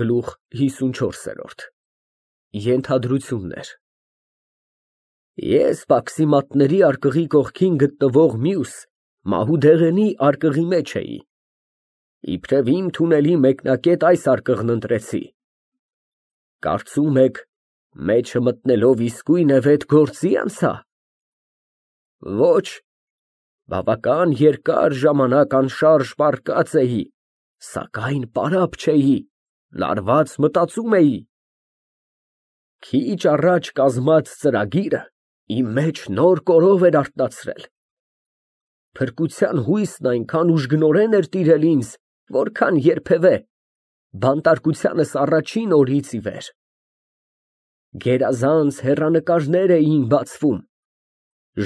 Գլուխ 54 Ենթադրություններ Ես պաքսիմատների արկղի կողքին գտնվող մյուս Մահուդեղենի արկղի մեջ էի, իբրև իմ թունելի մեկնակետ այս արկղն ընտրեցի, կարծում եք մեջը մտնելով իսկույն էվետ գործի անցա, ոչ, բավական երկար ժամանակ անշարժ պառկած էի, սակայն պարապ չէի, լարված մտածում էի, քիչ առաջ կազմած ծրագիրը իմ մեջ նոր կորով էր արթնացրել, փրկության հույսն այնքան ուժգնորեն էր տիրել ինձ, որքան երբևէ, բանտարկությանս առաջին օրից ի վեր, գերազանց հեռանկարներ էին բացվում,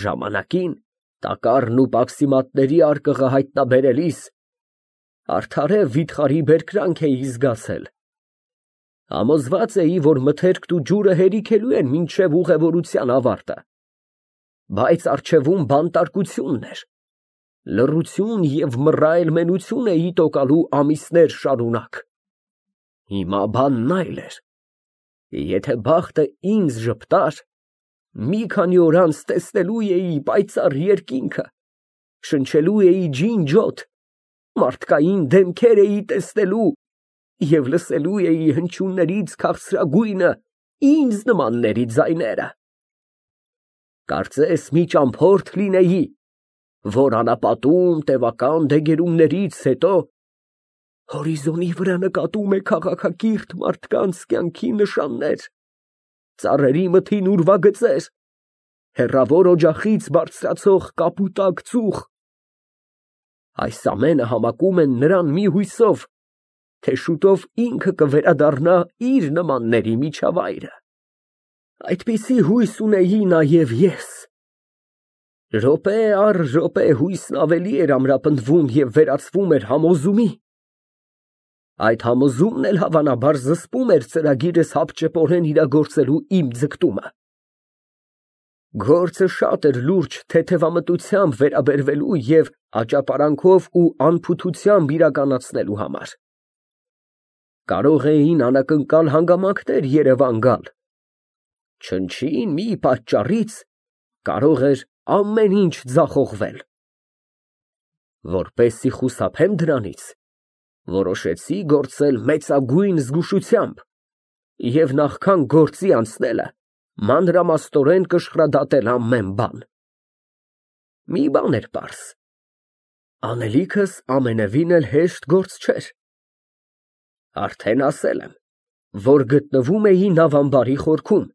ժամանակին տակառն ու պաքսիմատների արկղը հայտնաբերելիս արդարև վիթխարի բերկրանք էի զգացել, համոզված էի, որ մթերքն ու ջուրը հերիքելու են մինչև ուղևորության ավարտը, բայց առջևում բանտարկությունն էր, լռություն և մռայլմենություն էի տոկալու ամիսներ շարունակ, հիմա բանն այլ էր, եթե բախտը ինձ ժպտար, մի քանի օր անց տեսնելու էի պայծառ երկինքը, շնչելու էի ջինջոտ, մարդկային դեմքեր էի տեսնելու և լսելու էի հնչյուններից քաղցրագույնը ինձ նմանների ձայները, կարծես մի ճամփորդ լինեի, որ անապատում տևական դեգերումներից հետո հորիզոնի վրա նկատում է քաղաքակիրթ մարդկանց կյանքի նշաններ, ծառերի մթին ուրվագծեր, հեռավոր օջախից բարձրացող կապուտակ ծուխ, այս ամենը համակում են նրան մի հույսով, թե շուտով ինքը կվերադառնա իր նմանների միջավայրը, այդպիսի հույս ունեի նաև ես, րոպե առ րոպե հույսն ավելի էր ամրապնդվում և վերածվում էր համոզումի, այդ համոզումն էլ հավանաբար զսպում էր ծրագիրս հապճեպորեն իրագործելու իմ ձգտումը, գործը շատ էր լուրջ թեթևամտությամբ վերաբերվելու և աճապարանքով ու անփութությամբ իրականացնելու համար, կարող էին անակնկալ հանգամանքներ երևան գալ, չնչին մի պատճառից կարող էր ամեն ինչ ձախողվել, որպեսզի խուսափեմ դրանից, որոշեցի գործել մեծագույն զգուշությամբ և նախքան գործի անցնելը մանրամասնորեն կշռադատել ամեն բան, մի բան էր պարզ, անելիքս ամենևին էլ հեշտ գործ չէր, արդեն ասել եմ, որ գտնվում էի նավամբարի խորքում,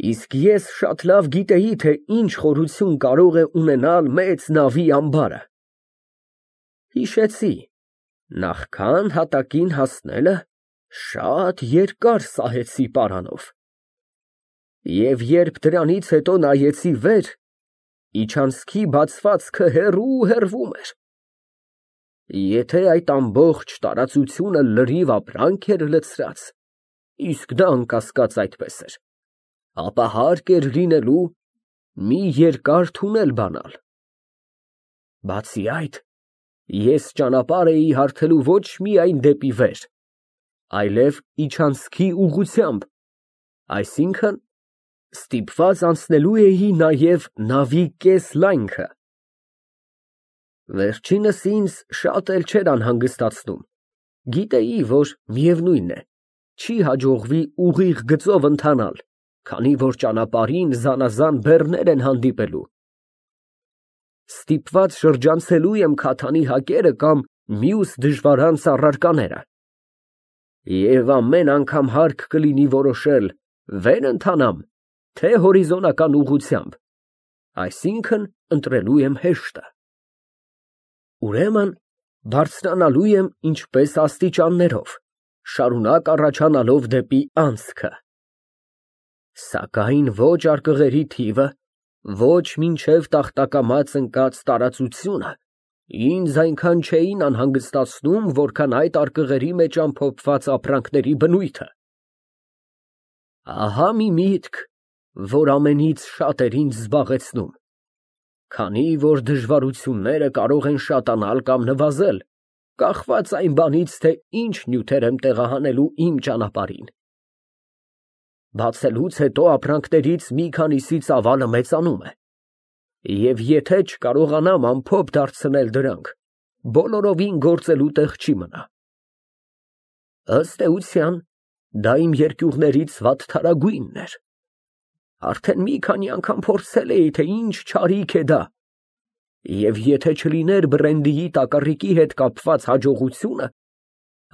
իսկ ես շատ լավ գիտեի, թե ինչ խորություն կարող է ունենալ մեծ նավի ամբարը, հիշեցի, նախքան հատակին հասնելը շատ երկար սահեցի պարանով, և երբ դրանից հետո նայեցի վեր, իջանցքի բացվածքը հեռու հեռվում էր, եթե այդ ամբողջ տարածությունը լրիվ ապրանք էր լցրած, իսկ դա անկասկած այդպես էր, ապա հարկ էր լինելու մի երկար թունել բանալ, բացի այդ, ես ճանապարհ էի հարթելու ոչ միայն դեպի վեր, այլև իջանցքի ուղղությամբ, այսինքն, ստիպված անցնելու էի նաև նավի կես լայնքը, վերջինս ինձ շատ էլ չէր անհանգստացնում, գիտեի, որ միևնույն է, չի հաջողվի ուղիղ գծով ընթանալ, քանի որ ճանապարհին զանազան բեռներ են հանդիպելու, ստիպված շրջանցելու եմ քաթանի հակերը կամ մյուս դժվարանց առարկաները, և ամեն անգամ հարկ կլինի որոշել վեր ընթանամ, թե հորիզոնական ուղղությամբ, այսինքն ընտրելու եմ հեշտը, ուրեմն բարձրանալու եմ ինչպես աստիճաններով, շարունակ առաջանալով դեպի անցքը, սակայն ոչ արկղերի թիվը, ոչ մինչև տախտակամած ընկած տարածությունը ինձ այնքան չէին անհանգստացնում, որքան այդ արկղերի մեջ ամփոփված ապրանքների բնույթը, ահա մի միտք, որ ամենից շատ էր ինձ զբաղեցնում, քանի որ դժվարությունները կարող են շատանալ կամ նվազել, կախված այն բանից, թե ինչ նյութեր եմ տեղահանելու իմ ճանապարհին։ Բացելուց հետո ապրանքներից մի քանիսի ծավալը մեծանում է, և եթե չկարողանամ ամփոփ դարձնել դրանք, բոլորովին գործելու տեղ չի մնա։ Ըստ էության, դա իմ երկյուղներից վատթարագույնն էր։ Արդեն մի քանի անգամ փորձել էի, թե ինչ չարիք է դա, և եթե չլիներ բրենդիի տակառիկի հետ կապված հաջողությունը,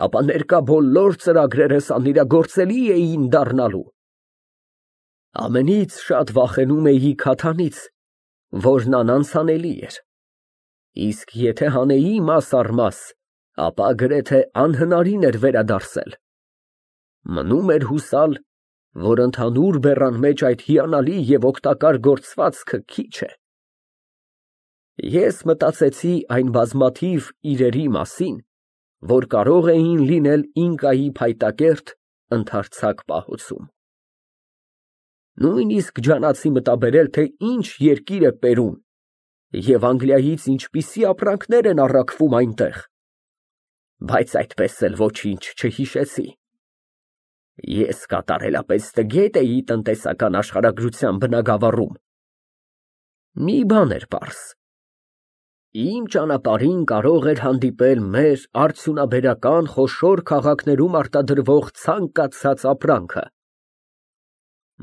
ապա ներկա բոլոր ծրագրերս անիրագործելի էին դառնալու։ Ամենից շատ վախենում էի քաթանից, որն անանցանելի էր, իսկ եթե հանեի մաս առ մաս, ապա գրեթե անհնարին էր վերադարձել։ Մնում էր հուսալ, որ ընդհանուր բեռան մեջ այդ հիանալի և օգտակար գործվածքը քիչ է։ Ես մտածեցի այն բազմաթիվ իրերի մասին, որ կարող էին լինել ինկայի փայտակերտ ընդարձակ պահոցում։ Նույնիսկ ջանացի մտաբերել, թե ինչ երկիր է Պերուն և Անգլիայից ինչպիսի ապրանքներ են առաքվում այնտեղ, բայց այդպես էլ ոչինչ չհիշեցի։ Ես կատարելապես տգետ էի տնտեսական աշխարհագրության բնագավառում։ Մի բան էր պարզ. իմ ճանապարհին կարող էր հանդիպել մեր արդյունաբերական խոշոր քաղաքներում արտադրվող ցանկացած ապրանքը։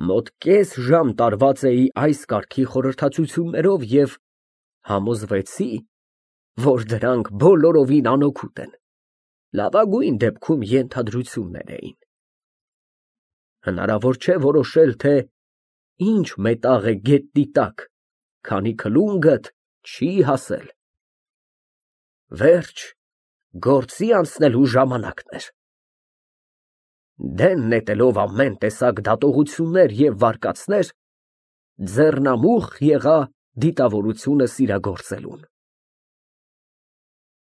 Մոտ կես ժամ տարված էի այս կարգի խորհրդածություններով և համոզվեցի, որ դրանք բոլորովին անօգուտ են, լավագույն դեպքում ենթադրություններ էին։ Հնարավոր չէ որոշել, թե ինչ մետաղ է գետնի տակ, քանի քլունգդ չի հասել։ Վերջ, գործի անցնելու ժամանակն էր։ Դեն նետելով ամեն տեսակ դատողություններ և վարկածներ, ձեռնամուխ եղա դիտավորությունս իրագործելուն։